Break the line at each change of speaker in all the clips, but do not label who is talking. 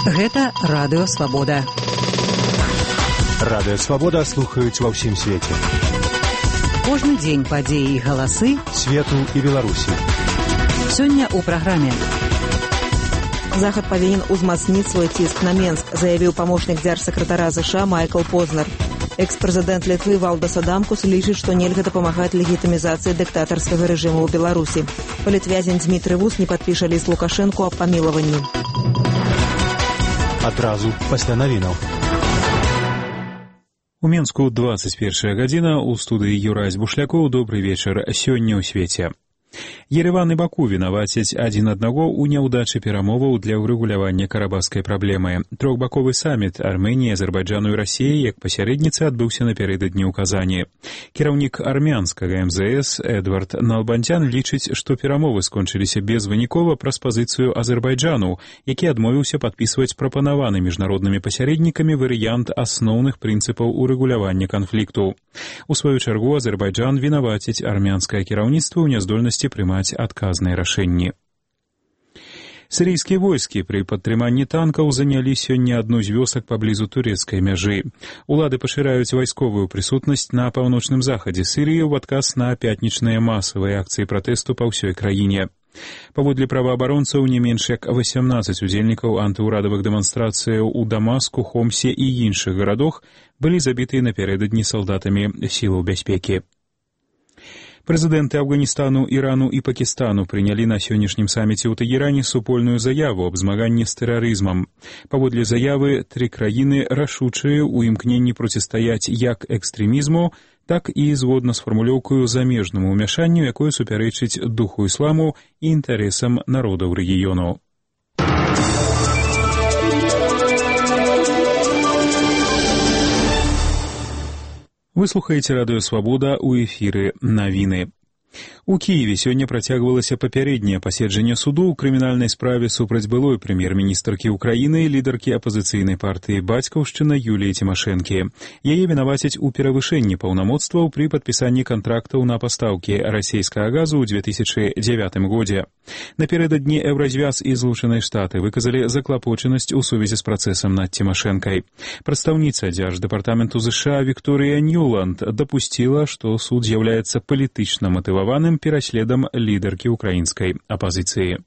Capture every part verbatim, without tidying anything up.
Гэта Радыё Свабода.
Радыё Свабода слухаюць ва ўсім свеце.
Кожны дзень падзеі і галасы
свету і Беларусі.
Сёння ў праграме.
Захад павінен узмацніць свой ціск на Менск, заявіў памочнік дзяржсакратара ЗША Майкл Познер. Экс-прэзідэнт Літвы Валдас Адамкус лічыць, што нельга дапамагаць легітымізацыі дыктатарскага рэжыму ў Беларусі. Палітвязень Дзмітрый Вус не падпіша ліст Лукашэнку аб памілаванні.
Адразу пасля навінаў.
У Менску двадцать первая гадзіна, у студыі Юрась Бушлякоў. Добрый вечар. Сёння ў свеце. Ереван і Баку вінавацяць адзін аднаго ў няўдачы перамоваў для ўрэгулявання карабахскай праблемы. Трохбаковы саміт Арменіі, Азербайджану і Расіі як пасярэдніцы адбыўся напярэдадні ў Казані. Кіраўнік армянскага эм зэ эс Эдвард Налбандзян лічыць, што перамовы скончыліся безвынікова праз пазіцыю Азербайджану, які адмовіўся падпісваць прапанаваны міжнароднымі пасярэднікамі варыянт асноўных прынцыпаў урэгулявання канфлікту. У сваю чаргу Азербайджан вінаваціць армянскае кіраўніцтва ў няздольнасці прымаць адказныя рашэнні. Сірыйскія войскі пры падтрыманні танкаў занялі сёння адну з вёсак паблізу турэцкай мяжы. Улады пашыраюць вайсковую прысутнасць на паўночным захадзе Сірыі ў адказ на пятнічныя масавыя акцыі пратэсту па ўсёй краіне. Паводле праваабаронцаў, не менш як васямнаццаць удзельнікаў антыўрадавых дэманстрацыяў у Дамаску, Хомсе і іншых гарадах былі забітыя напярэдадні салдатамі сілаў бяспекі. Прэзідэнты Афганістану, Ірану і Пакістану прынялі на сённяшнім саміце ў Тэгеране супольную заяву аб змаганні з тэрарызмам. Паводле заявы, тры краіны рашучыя ў імкненні процістаяць як экстрэмізму, так і згодна з фармулёўкаю замежнаму ўмяшанню, якое супярэчыць духу ісламу і інтарэсам народаў рэгіёну. Вы слухаеце Радыё Свабода, у эфіры навіны. У Кіеве сёння працягвалася папярэдняе паседжанне суду ў крымінальнай справе супраць былой прэм'ер-міністркі ўкраіны і лідаркі апазіцыйнай партыі «Бацькаўшчына» Юліі Цімашэнкі. Яе вінавацяць у перавышэнні паўнамоцтваў пры падпісанні кантрактаў на пастаўкі расійскага газу ў две тысячы дзявятым годзе. Напярэдадні Еўразвяз і Злучаныя Штаты выказалі заклапочанасць у сувязі з працэсам над Цімашэнкай. Прадстаўніца дзярждэпартаменту ЗША Вікторыя Ньюланд дапусціла, што суд з'яўляецца палітычна матываваным пераследам лідаркі украінскай апазіцыі.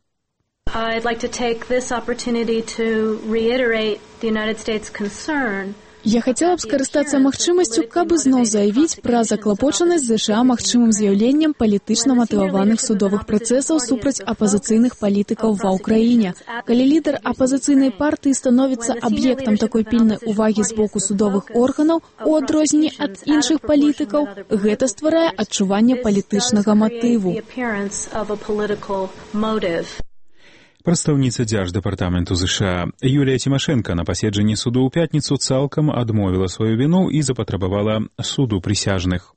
I'd like to take this opportunity to reiterate the United States concern.
Я хацела б скарыстацца магчымасцю, каб ізноў заявіць пра заклапочанасць ЗША магчымым з'яўленнем палітычна матываваных судовых працэсаў супраць апазіцыйных палітыкаў ва ўкраіне. Калі лідар апазіцыйнай партыі становіцца аб'ектам такой пільнай увагі з боку судовых органаў, у адрозненні ад іншых палітыкаў, гэта стварае адчуванне палітычнага матыву.
Прадстаўніца дзярждэпартаменту ЗША Юлія Цімашэнка на паседжанні суду ў пятніцу цалкам адмовіла сваю віну і запатрабавала суду прысяжных.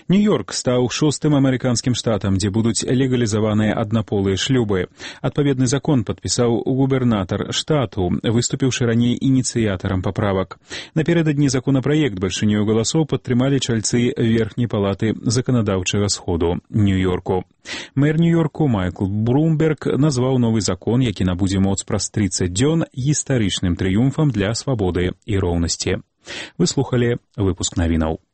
Нью-Йорк стаў шостым амерыканскім штатам, дзе будуць легалізаваныя аднаполыя шлюбы. Адпаведны закон падпісаў губернатар штату, выступіўшы раней ініцыятарам паправак. Напярэдадні законапраект бальшынёю галасоў падтрымалі чальцы верхняй палаты заканадаўчага сходу Нью-Йорку. Мэр Нью-Йорку Майкл Блумберг назваў новы закон, які набудзе моц праз трыццаць дзён, гістарычным трыумфам для свабоды і роўнасці. Вы слухалі выпуск навінаў.